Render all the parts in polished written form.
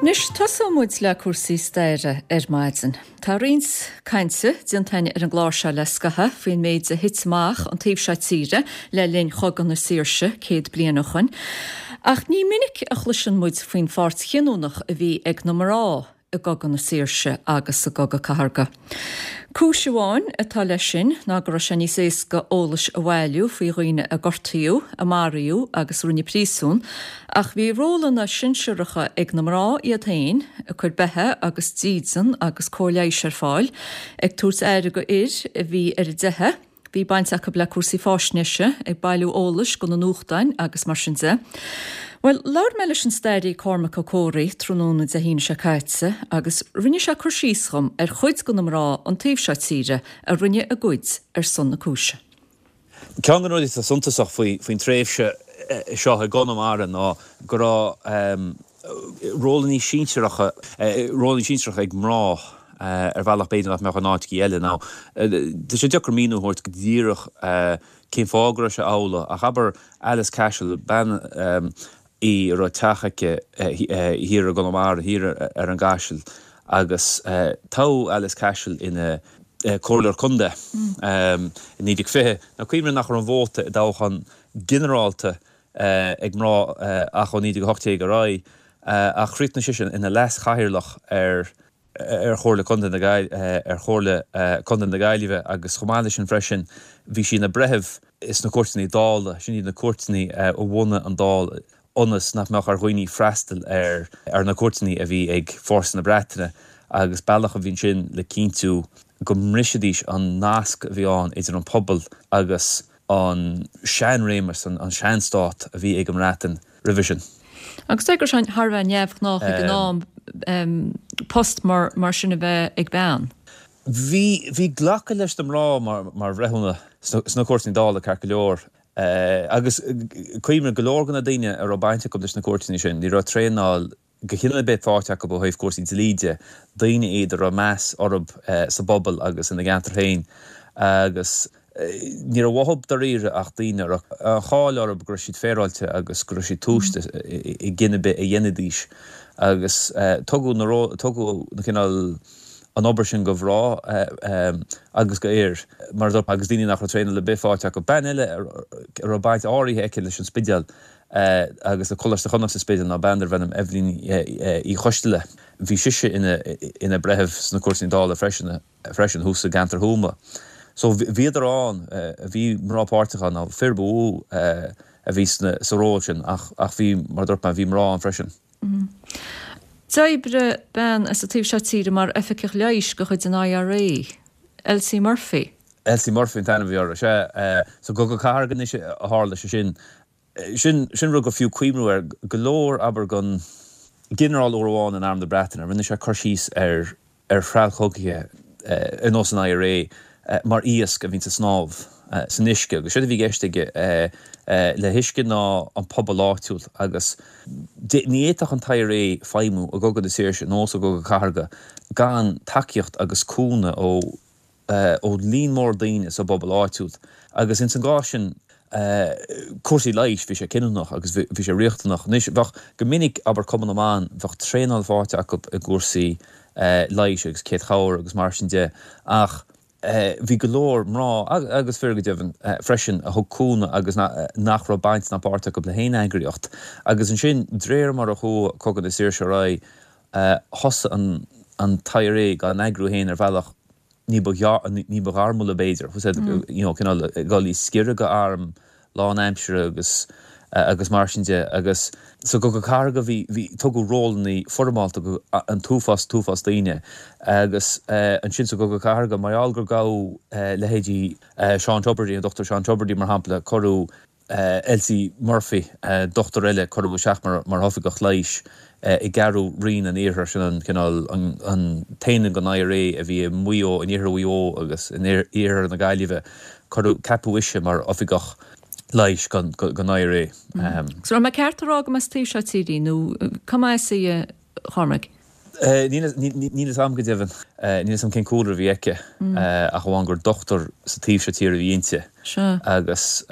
Anois, tosóidh muid le cúrsaí staire ar maidin. Tá roinnt cainte déanta againn ar an gclár seo le scaitheamh faoin méid a thit amach an taobh seo tíre le linn Chogadh na Saoirse 100 bliain ó shoin. Ach ní minic a chloiseann muid faoin pháirt chinniúnach a bhí ag na mná i gCogadh na Saoirse agus sa gCogadh Cathartha. Cúis amháin atá leis sin ná go raibh sé níos éasca eolais a bhailiú faoi dhaoine a gortaíodh, a maraíodh agus a rinneadh príosún, ach bhí rólanna sinsearacha ag na mná iad féin, ag cur beatha agus dídean agus cóir leighis ar fáil, ag tabhairt aire do fhir a bhí ar an dteitheadh. Bhí baint acu le cúrsaí fáisnéise, ag bailiú eolais do na nuachtáin agus mar sin de. Bhuel, labhair mé leis an stairí Cormac Ó Comhraí tráthnóna Dé hAoine seo caite agus rinne sé cur síos dhom ar chuid de na mná an taobh seo tíre a rinne a gcuid ar son na cúise. Ceann de na rudaí atá suntasach faoin tréimhse seo i gConamara ná go raibh rólanna sinsearacha, rólanna sinsearacha ag mná ar bhealach b'fhéidir nach mbeadh in áiteachaí eile. Now, tá sé deacair míniú a thabhairt go díreach cén fáth go raibh sé amhlaidh, ach abair Alice Cashel, bean í a raibh teach aici thiar i gConamara, thiar ar an gCaiseal, agus toghadh Alice Cashel ina comhairleoir contae i 1920. Now, cuimhnigh nach raibh an vóta i dtoghchán ginearálta ag mná ach ó 1918 ar aghaidh, ach chríochnaigh sise ina leas-chathaoirleach ar ar Chomhairle Contae na ar Chomhairle Contae na Gaillimhe agus chomh maith leis sin freisin bhí sí ina breitheamh sna cúirteanna Dála, sin iad na cúirteanna a bhunaigh an Dáil ionas nach mbeadh ar dhaoine freastal ar ar na cúirteanna a bhí ag fórsa na Breataine agus bealach a bhí ansin le cinntiú go mbrisfidís an nasc a bhí ann idir an pobal agus an seanréimeas, an seanstát a bhí ag an mBreatain roimhe sin. Agus deir go raibh sé thar a bheith neamhghnách ag an am post mar sin a bheith ag bean. Bhí, bhí glacadh leis na mná mar, mar bhreithiúna sna cúirteanna Dála ceart go leor. Agus cuimhnigh, go leor de na daoine a raibh baint acu leis na cúirteanna sin, ní raibh traenáil de chineál ar bith faighte acu ó thaobh cúrsaí dlí de, daoine iad a raibh meas orthu sa bpobal agus ina gceantar féin agus ní raibh uathu dáiríre ach daoine a raibh an cháil orthu go raibh siad féaráilte agus go raibh siad tomhaiste i gcinneadh ar bith a dhéanfaidís agus tugadh na tugadh na cineál an obair sin do mhná agus do fhir mar a dúirt agus daoine nach raibh traenáil ar bith faighte acu. Bean eile a raibh baint áirithe aici leis an Spidéal agus le Coláiste Chonnacht sa Spidéal ná bean darbh ainm Eibhlín Uí Choisteala. Bhí sise ina breitheamh sna cúirteanna Dála freisin freisin thuas i gceantar Thuama. So bhíodar ann, bhí mná páirteach ann, ná fir ba mhó a bhí sna sa ról sin ach ach bhí, mar a dúirt mé, bhí mná ann freisin. D'oibrigh bean as an taobh seo tíre mar oifigeach leighis de chuid an IRA, Elsie Murphy. Elsie Murphy an t-ainm a bhí uirthi, sea. Sa gCogadh Cathartha anois a tharla sé sin. Sin, sin rud gur fiú cuimhniú air. Go leor, abair, den ghinearál uair amháin in Arm na Breataine, rinne sé cur síos ar, ar threallchogaithe ar nós an IRA mar iasc a bhíonns ag snámh san uisce agus séard a bhí i gceist aige le huisce ná an pobal áitiúil agus ní fhéadfadh an t-IRA feidhmiú i gCogadh na Saoirse nó sa gCogadh Cathartha gan tacaíocht agus cúnamh ó ó líon mór daoine sa bpobal áitiúil agus ins an gcás sin cúrsaí leighis, bhí sé cinniúnach agus bhí sé riachtanach. Anois, bheadh, go minic, abair Cumann na mBan, bheadh traenáil faighte acu i gcúrsaí leighis agus céad chabhair agus mar sin de ach bhí go leor mná, agus fir go deimhin, freisin a thug cúnamh agus nach raibh baint ná páirt acu le haon eagraíocht. Agus ansin, d'réir mar a chuaigh Cogadh na Saoirse ar aghaidh, thosaigh an t-IRA dá n-eagrú féin ar bhealach ní ba ní ba ghairmiúla b'fhéidir, you know, cineál ag dul i sciorradh go arm lánaimseartha agus agus mar sin de agus sa gCogadh Cathartha bhí bhí tugadh rólanna foirmeálta go an t-uafás t-uafás daoine agus ansin sa gCogadh Cathartha mar gheall gur gabhadh leithéidí Seán Tubridy, an Dr Seán Tubridy mar shampla, cuireadh Elsie Murphy, dochtúir eile, cuireadh isteach mar oifigeach leighis i gceathrú Roinn an Iarthair, sin an cineál, an t-aonad den IRA a bhí i Maigh Eo, in iarthar Mhaigh Eo agus in iarthar na Gaillimhe. Cuireadh, ceapadh ise mar oifigeach leighis don IRA. So raibh mé ceart a rá go mba as an taobh seo tíre í nó cá mba as í a Chormaic? Níl a fhios agam go deimhin. Níl a fhios agam cén cúlra a bhí aici ach amháin gur dochtúir sa taobh seo tíre a bhí inti agus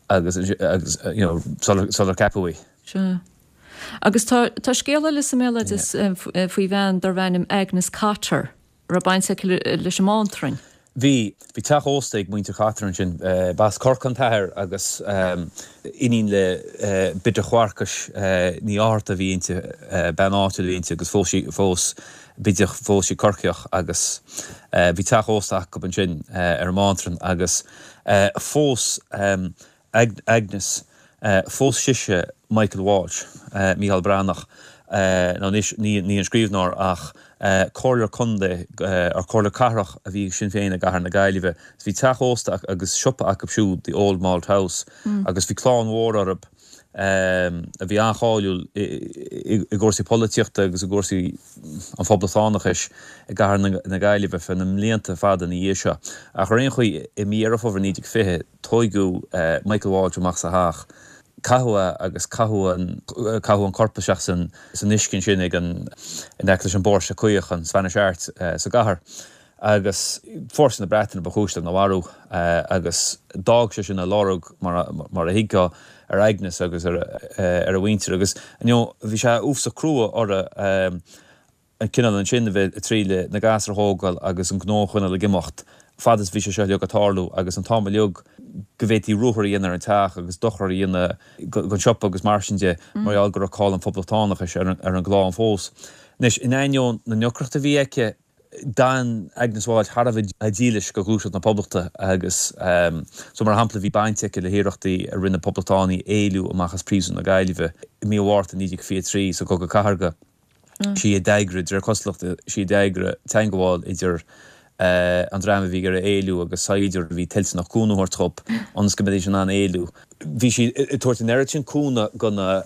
agus agus you know sular ceapadh í. Sea. Agus tá, tá scéal eile sa mbéaloideas faoi bhean darbh ainm Agnes Cotter, a raibh baint aici leis an mBántrainn. Bhí. Bhí teach ósta ag muintir Cotter ansin. B'as Corcaigh an t-athair agus iníon le Biddeach Mharcais Ní Fhátharta a bhí inti, bean áitiúil a bhí inti agus phós sí, phós Biddeach, phós sí Corcaíoch agus bhí teach ósta acu ansin ar an mBántrainn agus phós Agnes, phós sise Michael Walsh, Mícheál Breathnach, nó anois ní an scríbhneoir ach comhairleoir contae, or comhairleoir cathrach a bhí ag Sinn Féin i gcathair na Gaillimhe. Bhí teach ósta agus siopa acu siúd, The Old Malt House, agus bhí clann mhór orthu a bhí an-cháiliúil i gcúrsaí polaitíochta agus i gcúrsaí an phoblachtánachais i gcathair na Gaillimhe feadh na mblianta fada ina dhiaidh seo. Ach ar aon chaoi, i mí Dheireadh Fómhair 1920, Tóigeadh Michael Walsh amach as a theach, caitheadh é agus caitheadh an, caitheadh an corp isteach san, san uisce ansin ag an, in aice leis an bPóirse Caoch, an Spanish Arch, sa gcathair. Agus fórsaí na Breataine ba chúis lena mharú agus d'fhág sé sin a lorg, mar, mar a thuigfeá, ar Agnes agus ar, ar a mhuintir. Agus, you know, bhí sé uafásach crua orthu. an cineál ansin a bheith ag triail na gasúir a thógáil agus an gnó a choinneáil ag imeacht fad is bhí sé seo uilig ag tarlú agus an t-am uilig go bhféadfaí ruathar a dhéanamh ar an teach agus dochar a dhéanamh don siopa agus mar sin de mar gheall go raibh cáil an phoblachtánachais ar an gclann fós. Anois, in ainneoin na ndeacrachtaí a bhí aici, d'fhan Agnes Walsh thar a bheith dílis do Ghluaiseacht na Poblachta agus so mar shampla bhí baint aici le hiarrachtaí a rinne poblachtánaigh éalú amach as príosún na Gaillimhe i mí an Mhárta 1923 sa gCogadh Cathartha. Sí a d'eagraigh, de réir cosúlachta, sí a d'eagraigh teangmháil idir an dream a bhí ag iarraidh éalú agus saighdiúir a bhí toilteanach cúnamh a thabhairt dhób ionas go mbeidís in ann éalú. Bhí sí ag tabhairt an oiread sin cúnamh do na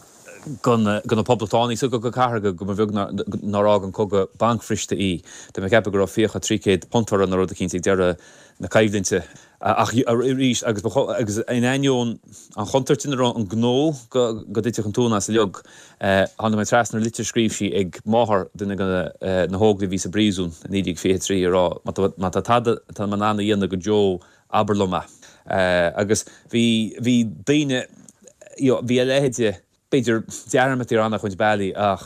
do na Poblachtánaigh sa gCogadh Cathartha go mba bheag nár fhág an cogadh bancbhriste í. Tá mé ag ceapadh go raibh fiacha £300 uirthi nó rud eicínt ag deireadh na coimhlinte. Ach arís, agus ba agus in ainneoin an chontúirt ina raibh an gnó go dtitfeadh an tóin as uilig, tháinig mé trasna ar litir a scríobh sí ag máthair duine de na hóglaigh a bhí sa bpríosún i 1923 ag rá, má tá tada atá mé in ann a dhéanamh do Joe, abair liom é. Agus bhí, bhí daoine, you know, bhí a leithéid B'fhéidir dearmad ar an-chuid bealaí ach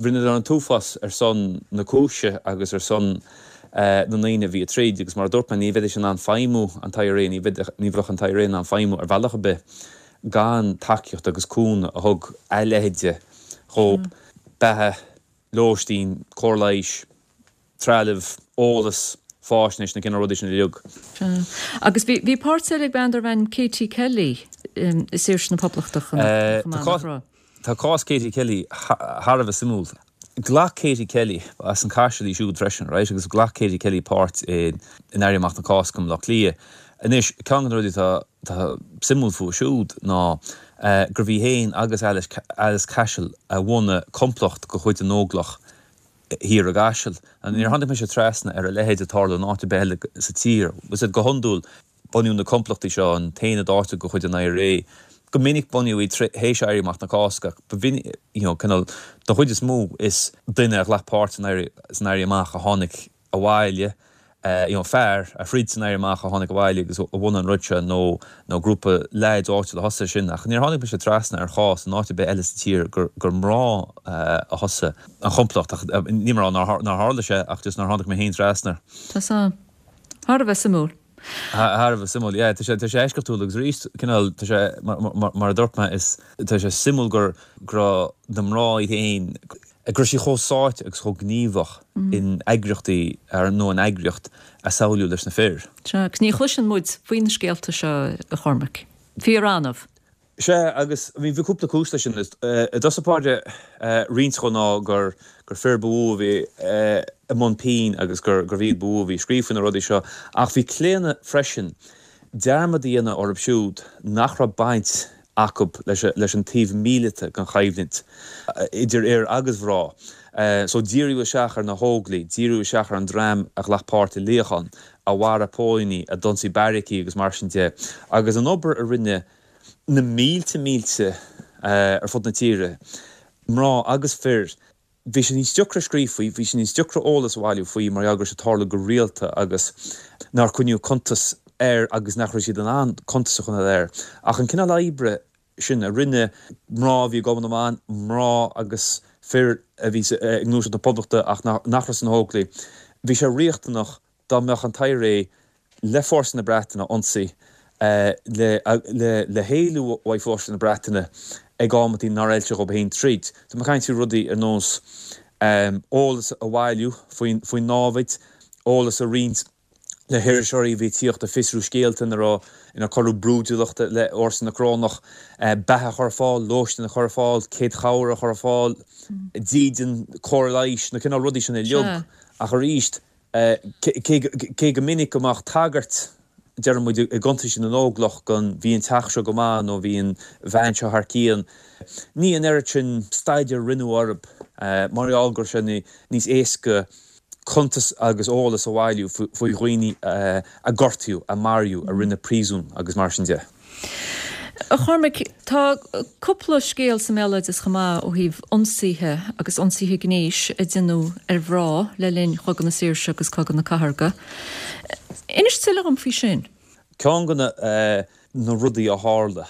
rinneadar an t-uafás ar son na cúise agus ar son na ndaoine a bhí ag troid agus mar a dúirt mé, ní bheidís in ann feidhmiú an t-IRA, ní bheadh an t-IRA in ann feidhmiú ar bhealach ar bith gan tacaíocht agus cúnamh a thug a leithéide dhób, beatha, lóistín, cóir leighis. trealamh, eolas, fáisnéis, na cineál rudaí sin uilig. Sea. Agus bhí, bhí páirt eile ag bean darbh ainm Katie Kelly i Saoirse na Poblachta chomh maith, nach raibh? Tá cás Katie Kelly thar a bheith suimiúil. Ghlac Katie Kelly, as an Caiseal í siúd freisin, right, agus ghlac Katie Kelly páirt in Éirí Amach na Cásca i mBaile Átha Cliath. Anois, ceann de na rudaí atá, atá suimiúil fúithi siúd ná gurbh í féin agus Alice, Alice Cashel a bhunaigh complacht de chuid na nÓglach thiar i gCaiseal. Níor tháinig mise trasna ar a leithéid ag tarlú in áit ar bith eile sa tír. Is go hiondúil, bunaíodh na complachtaí seo, an t-aonad áitiúil de chuid an IRA, go minic bunaíodh iad théis Éirí Amach na Cásca ach ba mhinic, you know, cineál, don chuid is mó is duine a ghlac páirt san Éirí Amach a tháinig abhaile, you know, fear a throid san Éirí Amach a tháinig abhaile agus a bhunaigh an rud seo nó nó grúpa leaids áitiúil a thosaigh sin ach níor tháinig mise trasna ar chás in áit ar bith eile sa tír gur gur mná a thosaigh an chomplacht ach níl mé ag rá nár nár tharla sé ach just nár tháinig mé féin trasna air. Tá sé thar a bheith suimiúil. Thar a bheith suimiúil, yeah. Tá sé tá sé eisceachtúil agus arís cineál tá sé mar mar mar a dúirt mé is tá sé suimiúil gur go raibh na mná iad féin go raibh siad chomh sáite agus chomh gníomhach in eagraíochtaí nó in eagraíocht a samhlaíodh leis na fir. Sea, agus ní chloiseann muid faoi na scéalta seo, a Chormaic. Fíor-annamh. Sea, agus bhí cúpla cúis leis sin. I dtosach báire, roinnt dhó ná gur fir ba mhó a bhí i mbun pinn agus gurbh iad ba mhó a bhí ag scríobh faoi na rudaí seo. Ach bhí claonadh freisin dearmad a dhéanamh orthu siúd nach raibh baint acu leis an taobh míleata den choimhlint, idir fhir agus mhná. So díriú isteach ar na hÓglaigh, díriú isteach ar an dream a ghlac páirt i luíochán, a mharaigh póilíní, a d'ionsaigh beairicí agus mar sin de. Agus an obair a rinne na mílte mílte ar fud na tíre, mná agus fir, Bhí sé níos deacra scríobh faoi, bhí sé níos deacra eolas a bhailiú faoi mar gheall go raibh sé ag tarlú go rialta agus nár coinníodh cuntas air agus nach raibh siad in ann cuntas a choinneáil air. Ach an cineál oibre. sin a rinne mná a bhí i gCumann na mBan, mná agus fir a bhí i nGluaiseacht na Poblachta ach nach raibh sna hÓglaigh, bhí sé riachtanach dá mbeadh an t-IRA le fórsaí na Breataine a ionsaí, le héalú uaidh fórsaí na Breataine ag amantaí nár fheil sé dhóibh féin troid. Tá mé ag caint faoi rudaí ar nós eolas a bhailiú faoin námhaid, eolas a roinnt le hiriseoirí a bhí ag tíocht ag fiosrú scéalta ina raibh, inar cuireadh brúidiúlacht le fórsaí na Corónach, beatha a chur ar fáil, lóistín a chur ar fáil, céad chabhair a chur ar fáil, dídean, cóir leighis, na cineál rudaí sin uilig. Ach arís, cé go minic go mbeadh tagairt, deireann muid, i gcuntaisí na nÓglach gon bhí an teach seo go maith nó bhí an bhean seo thar cionn, ní an oiread sin staidéir a rinneadh orthu mar gheall go raibh sé níos éasca cuntas agus eolas a bhailiú faoi dhaoine a gortaíodh, a maraíodh, a rinneadh príosún agus mar sin de. A Chormaic, tá cúpla scéal sa mbéaloideas chomh maith ó thaobh ionsaithe agus ionsaithe gnéis a deineadh ar mhná le linn Chogadh na Saoirse agus Cogadh na Cathartha. Inis tuilleadh dhom faoi sin. Ceann de na rudaí a tharla,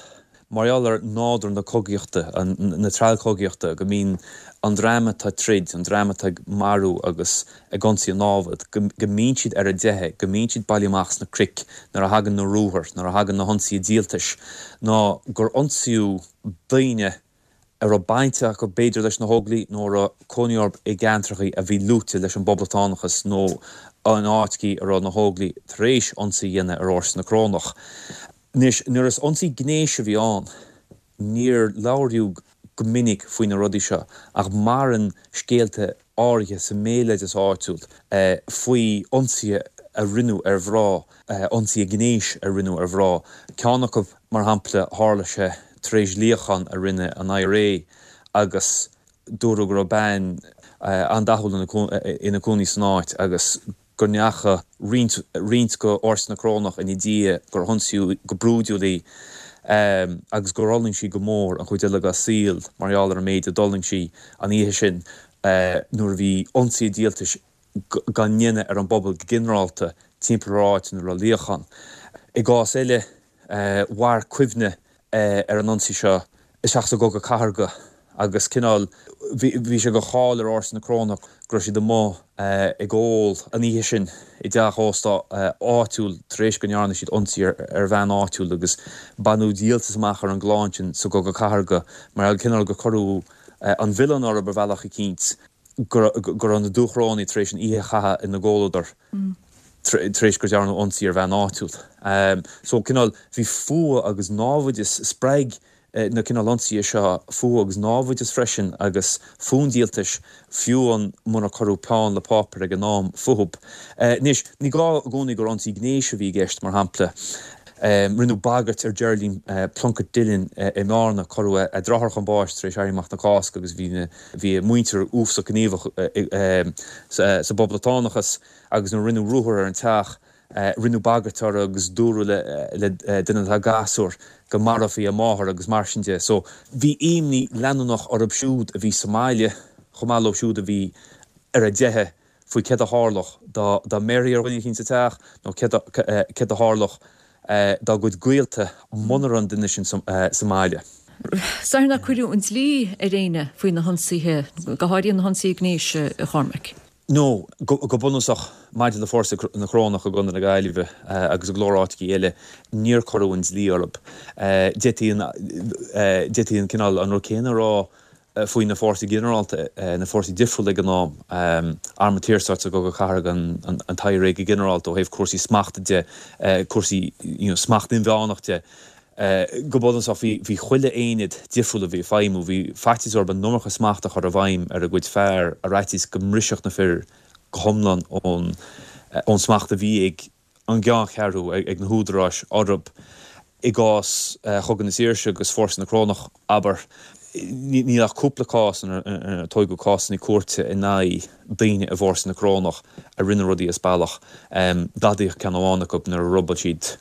mar gheall ar nádúr na cogaíochta, na treallchogaíochta, go mbíonn an dream atá ag troid, an dream atá ag marú agus ag ionsaí an námhad, go mbíonn siad ar a dteitheadh, go mbíonn siad bailithe amach sna cnoic nuair a thagann na ruathair, nuair a thagann na hionsaithe díoltais, ná gur ionsaíodh daoine a raibh baint acu b'fhéidir leis na hÓglaigh nó a raibh cónaí orthu i gceantracha a bhí luaite leis an bPoblachtánachas nó in áiteacha a raibh na hÓglaigh tar éis ionsaí a dhéanamh ar fhórsaí na Corónach. Anois, nuair is ionsaí gnéis a bhí ann, níor labhraíodh go minic faoi na rudaí seo ach maireann scéalta áirithe sa mbéaloideas áitiúil faoi ionsaithe a rinneadh ar mhná, ionsaithe gnéis a rinneadh ar mhná. Ceann acu, mar shampla, tharla sé tar éis luíochán a rinne an IRA agus dúradh go raibh bean an-dathúil ina cónaí san áit agus go ndeachaigh roinnt roinnt de fhórsaí na Corónach ina diaidh, gur hionsaíodh go brúidiúil í agus gur fhulaing sí go mór an chuid eile dá saol mar gheall ar an méid a d'fhulaing sí an oíche sin nuair a bhí ionsaithe díoltais á ndéanamh ar an bpobal go ginearálta timpeall ar áit ina raibh luíochán. I gcás eile, mhair cuimhne ar an ionsaí seo isteach sa gCogadh Cathartha agus cineál, bhí sé de cháil ar fhórsaí na Corónach go raibh siad amuigh ag ól an oíche sin i dteach ósta áitiúil tar éis go ndearna siad ionsaí ar bhean áitiúil agus baineadh díoltas amach ar an gclann sin sa gCogadh Cathartha mar cineál gur cuireadh an milleán orthu ar bhealach eicínt go raibh na Dúchorónaigh tar éis an oíche a chaitheamh ina gcomhluadar tar éis gur dearnadh ionsaí ar bhean áitiúil. So cineál bhí fuath agus námhaideas, spreag na cineál ionsaithe seo fuath agus námhaideas freisin agus fonn díoltais fiú amháin munar cuireadh peann le páipéar ag an am fúthu. Anois, ní gá i gcónaí gur ionsaí gnéis a bhí i gceist, mar shampla, rinneadh bagairt ar Geraldine Plunkett Dillon i mBearna, cuireadh a deartháir chun báis tar éis Éirí Amach na Cásca agus bhí na bhí a muintir uafásach gníomhach sa bPoblachtánachas agus nuair a rinneadh ruathar ar an teach, rinneadh bagairt uirthi agus dúradh le duine dá gasúir go marófaí a máthair agus mar sin de. So bhí imní leanúnach orthu siúd a bhí sa mbaile chomh maith leo siúd a bhí ar a dteitheadh faoi céard a tharlódh dá mbéarfaí ar dhuine eicínt sa teach nó céard a tharlódh dá gcuid gaolta muna raibh an duine sin sa mbaile. Is dóigh nár cuireadh an dlí ar éinne faoi na hionsaithe, go háirithe na hionsaithe gnéis, a Chormaic. No, go bunúsach, maidir le fórsaí na Corónach i gContae na Gaillimhe agus i go leor áiteachaí eile, níor cuireadh an dlí orthu. D'fhéadfaí an cineál, an rud céanna a rá faoi na fórsaí ginearálta, na fórsaí difriúla ag an am, Arm an tSaorstáit sa gCogadh Cathartha, an t-IRA go ginearálta ó thaobh cúrsaí smachta de, cúrsaí smacht inmheánach de. Go bunúsach, bhí chuile aonad difriúil a bhí ag feidhmiú, bhí faitíos orthu an iomarca smachta a chur i bhfeidhm ar a gcuid fear, ar fhaitíos go mbrisfeadh na fir go hiomlán ón smacht a bhí ag an gceanncheathrú, ag na húdaráis orthu. I gcás Chogadh na Saoirse agus Fórsaí na Corónach, abair, níl ach cúpla cás inar tóigeadh cásanna cúirte in aghaidh daoine i bhFórsaí na Corónach a rinne rudaí as bealach. Gadaíodh ceann amháin acu nuair a robáil siad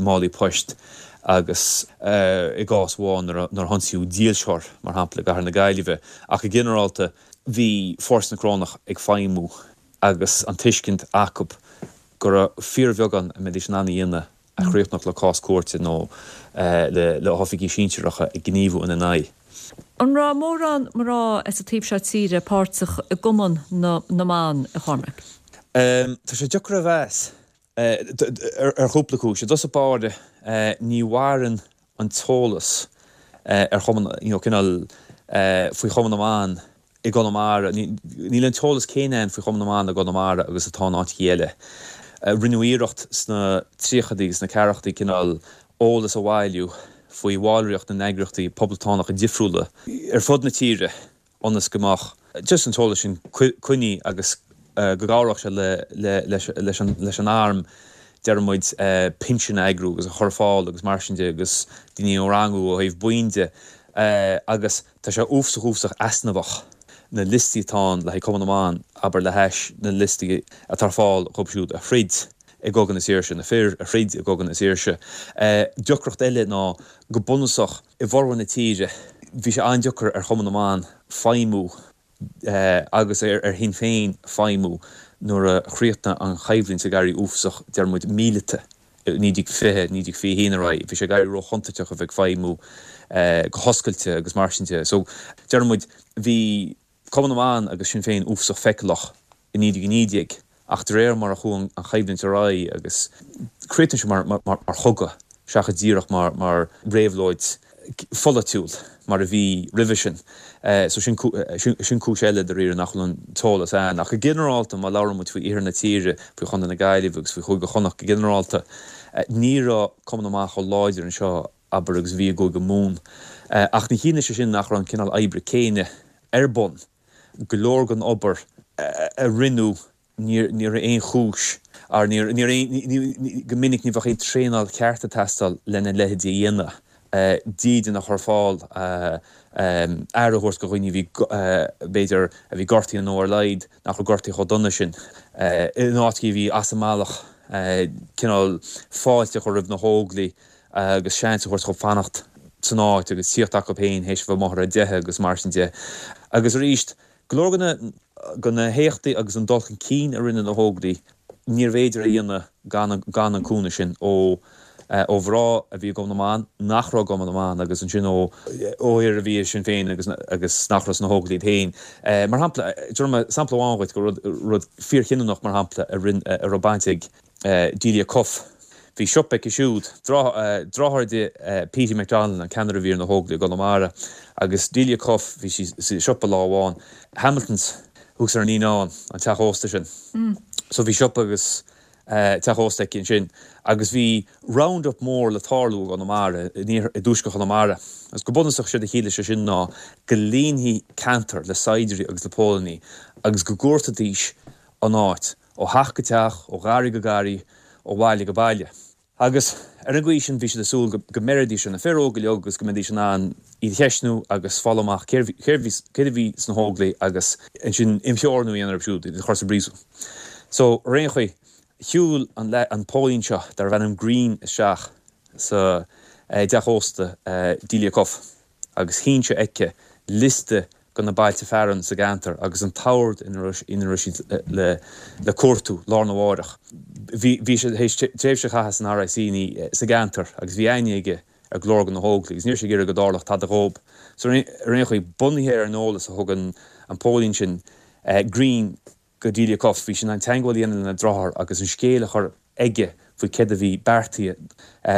málaí poist agus i gcás amháin nuair a hionsaíodh dílseoir, mar shampla, i gcathair na Gaillimhe. Ach go ginearálta, bhí Fórsaí na Corónach ag feidhmiú agus an tuiscint acu go raibh fíorbheagán a mbeidís in ann a dhéanamh. a chríochnódh le cás cúirte nó le hoifigigh sinsearacha ag gníomhú ina n-aghaidh. An raibh mórán mná as an taobh seo tíre páirteach i gCumann na mBan, a Chormaic? Tá sé deacair a mheas ar chúpla cúis. I dtosach báire, ní mhaireann an t-eolas ar Chumann, you know, cineál faoi Chumann na mBan i gConamara, níl an t-eolas céanna ann faoi Chumann na mBan i gConamara agus atá in áiteachaí eile. Rinneadh iarracht sna tríochaidí agus sna ceathrachaidí cineál eolas a bhailiú faoi bhallraíocht na n-eagraíochtaí poblachtánacha difriúla ar fud na tíre ionas go mbeadh just an t-eolas sin coinnithe agus go gcabhródh sé leis an arm, deir muid, pinsin a eagrú agus a chur ar fáil agus mar sin de agus daoine a rangú ó thaobh buíon de agus tá sé uafasach uafasach easnamhach na liostaí atá ann le haghaidh Cumann na mBan, abair, le hais na liostaí atá ar fáil dhóibh siúd a throid i gCogadh na Saoirse, na fir a throid i gCogadh na Saoirse. Deacracht eile ná go bunúsach i bhformhór na tíre bhí sé an-deacair ar Chumann na mBan feidhmiú agus ar Shinn Féin feidhmiú nuair a chríochnaigh an choimhlint ag éirí uafasach, deir muid, míleata i 1920, 1921 ar aghaidh. Bhí sé ag éirí róchontúirteach a bheith ag feidhmiú go hoscailte agus mar sin de. So, deir muid, bhí Cumann na mBan agus Sinn Féin uafasach feiceálach i 1919 ach de réir mar a chuaigh an choimhlint ar aghaidh agus chríochnaigh sé mar chogadh seachas díreach mar réabhlóid pholaitiúil mar a bhí roimhe sin. So sin sin cúis eile dáiríre nach bhfuil an t-eolas ann. Ach go ginearálta má labhrann muid faoi iarthar na tíre, faoi Chontae na Gaillimhe agus faoi Chúige Chonnacht go ginearálta, ní raibh Cumann na mBan chomh láidir anseo abair agus a bhí i gCúige Mumhan. Ach ní chiallaíonn sé sin nach raibh an cineál oibre céanna ar bun. Go leor den obair a rinneadh ní raibh aon chúis or ní raibh go minic ní bheadh aon traenáil cheart ag teastáil lena leithéidí a dhéanamh, dídean a chur ar fáil, aire a thabhairt do dhaoine a bhí b'fhéidir a bhí gortaithe nó ar a laghad nach raibh gortaithe chomh dona sin, in áiteachaí a bhí as an mbealach, cineál fáilte a chur roimh na hÓglaigh agus seans a thabhairt dhóibh fanacht san áit agus tíocht acu féin théis a bheith amuigh ar a dteitheadh agus mar sin de. Agus arís, go leor de na héachtaí agus an dul chun cinn a rinne na hÓglaigh, níorbh fhéidir a dhéanamh gan gan an cúnamh sin ó ó mhná a bhí i gCumann na mBan, nach raibh i gCumann na mBan agus ansin ó ó fhir a bhí i Sinn Féin agus agus nach raibh sna hÓglaigh iad féin. Mar shampla, tabharfaidh mé sampla amháin dhuit de rud rud fíorchinniúnach mar shampla a rinne a raibh baint ag Delia Cuffe. Bhí siopa aici siúd, deartháir di Petey McDonald, an ceannaire a bhí ar na hÓglaigh i gConamara, agus Delia Cuffe, bhí sí sa siopa lá amháin, Hamilton's thuas ar an Líneán, an teach ósta sin. So bhí siopa agus teach ósta aici ansin agus bhí round up mór le tarlú i gConamara, i dtuaisceart Chonamara. Agus go bunúsach séard a chiallaigh sé sin ná go líonfaí ceantar le saighdiúirí agus le póilíní agus go gcuartóidís an áit. ó theach go teach, ó gharraí go garraí, ó bhaile go baile. Agus ar an gcaoi sin bhí siad ag súil go mbeiridís ar na fir óga uilig agus go mbeidís in ann iad a cheistniú agus fáil amach céard a bhí sna hÓglaigh agus ansin imtheorannú a dhéanamh orthu siúd, iad a chur sa bpríosún. So, ar aon chaoi, shiúil an póilín seo, darbh ainm Green, isteach sa dteach ósta Delia Cuffe. agus shín sé aici liosta de na bailte fearainn sa gceantar agus an t-ord ina raibh siad le cuartú lá arna mháireach. Bhí sé théis tréimhse a chaitheamh san RIC sa gceantar agus bhí aithne aige ar go leor de na hÓglaigh agus ní raibh sé ag iarraidh go dtarlódh tada dhób. So ar aon chaoi, bunaithe ar an eolas a thug an póilín sin, Green, go Delia Cuffe, bhí sí in ann teagmháil a dhéanamh lena deartháir agus an scéal a chur aige faoi céard a bhí beartaithe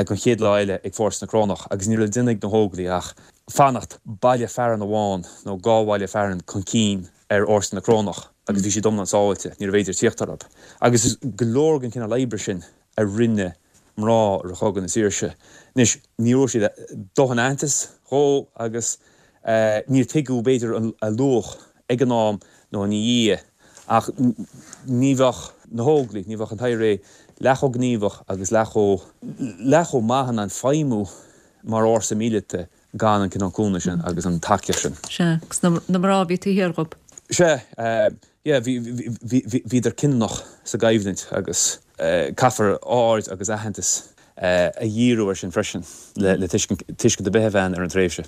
don chéad lá eile ag fórsa na Corónach agus ní raibh le déanamh ag na hÓglaigh ach fanacht baile fearainn amháin nó dhá bhaile fearainn chun cinn ar fhórsa na Corónach agus bhí siad iomlán sábháilte, níorbh fhéidir tíocht orthu. Agus is go leor den chineál oibre sin a rinne mná i rith Chogadh na Saoirse. Anois, ní raibh siad dóthain aitheantas dhó agus níor tuigeadh b'fhéidir a luach ag an am nó ina dhiaidh, ach ní bheadh na hÓglaigh, ní bheadh an t-IRA leath chomh gníomhach agus leath chomh, leath chomh maith in ann feidhmiú mar fhórsa míleata gan an cineál cúnamh sin agus an tacaíocht sin. Sea, agus na mná a bhí taobh thiar dhób. Sea, yeah, bhí, bhí, bhíodar cinniúnach sa gcoimhlint agus caithfear aird agus aitheantas a dhíriú air sin freisin le tuiscint, tuiscint ar bith a bheith ann ar an tréimhse.